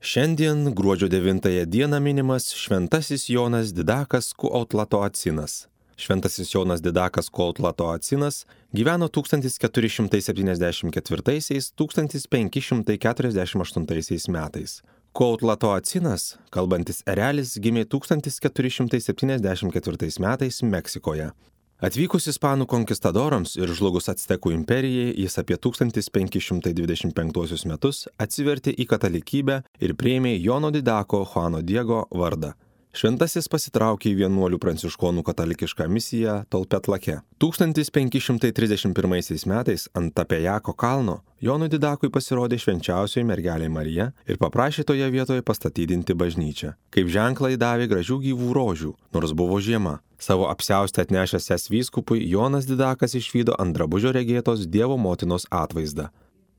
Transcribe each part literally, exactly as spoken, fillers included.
Šiandien gruodžio devintąją dieną minimas Šventasis Jonas Didakas Kuautlatoacinas. Šventasis Jonas Didakas Kuautlatoacinas gyveno tūkstantis keturi šimtai septyniasdešimt ketvirtaisiais - tūkstantis penki šimtai keturiasdešimt aštuntaisiais metais. Kuautlatoacinas, kalbantis erelis, gimė tūkstantis keturi šimtai septyniasdešimt ketvirtais metais Meksikoje. Atvykus ispanų konkistadorams ir žlugus Actekų imperijai, jis apie tūkstantis penki šimtai dvidešimt penktuosius metus atsivertė į katalikybę ir priėmė Jono Didako Juano Diego vardą. Šventasis pasitraukė į vienuolių pranciškonų katalikišką misiją Tolpetlake. tūkstantis penki šimtai trisdešimt pirmaisiais metais ant Tapejako kalno Jonui Didakui pasirodė švenčiausioji mergelė Marija ir paprašė toje vietoje pastatydinti bažnyčią. Kaip ženklą įdavė gražių gyvų rožių, nors buvo žiema. Savo apsiaustę atnešęs jas vyskupui, Jonas Didakas išvydo ant drabužio regėtos Dievo motinos atvaizdą.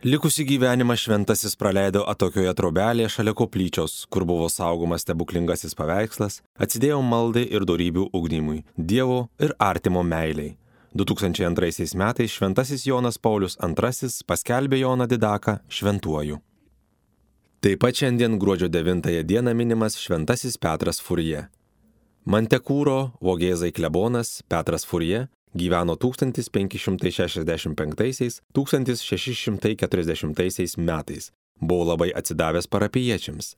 Likusį gyvenimą šventasis praleido atokioje trobelėje šalia koplyčios, kur buvo saugomas stebuklingasis paveikslas, atsidėjo maldai ir dorybių ugdymui, Dievo ir artimo meiliai. du tūkstančiai antraisiais metais šventasis Jonas Paulius antrasis paskelbė Joną Didaką šventuoju. Taip pat šiandien gruodžio devintąją dieną minimas šventasis Petras Furje. Mantekūro Vogėzai klebonas Petras Furje gyveno tūkstantis penki šimtai šešiasdešimt penktaisiais - tūkstantis šeši šimtai keturiasdešimtaisiais metais. Buvo labai atsidavęs parapijiečiams.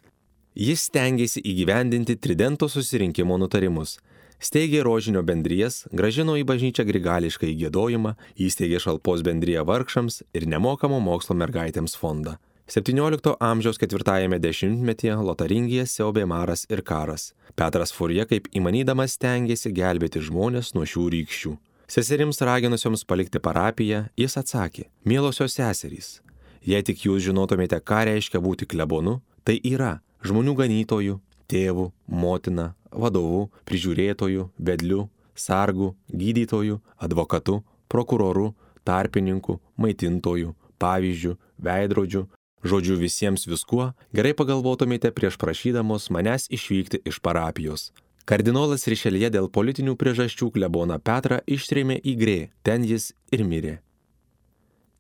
Jis stengėsi įgyvendinti Tridento susirinkimo nutarimus. Steigė rožinio bendrijas, gražino į bažnyčią grigališką įgiedojimą, įsteigė šalpos bendriją vargšams ir nemokamo mokslo mergaitėms fondą. septyniolikto amžiaus ketvirtajame dešimtmetyje Lotaringija siaubė maras ir karas. Petras Furje kaip įmanydamas stengėsi gelbėti žmonės nuo šių rykščių. Seserims raginusioms palikti parapiją, jis atsakė: "Mielosios seserys, jei tik jūs žinotumėte, ką reiškia būti klebonu, tai yra žmonių ganytojų, tėvų, motina, vadovų, prižiūrėtojų, vedlių, sargų, gydytojų, advokatų, prokurorų, tarpininkų, maitintojų, pavyzdžių, veidrodžių, žodžiu visiems viskuo, gerai pagalvotumėte prieš prašydamos manęs išvykti iš parapijos." Kardinolas Rišeljė dėl politinių priežasčių kleboną Petrą ištrėmė į Grė, ten jis ir mirė.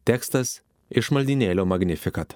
Tekstas iš maldynėlio Magnificat.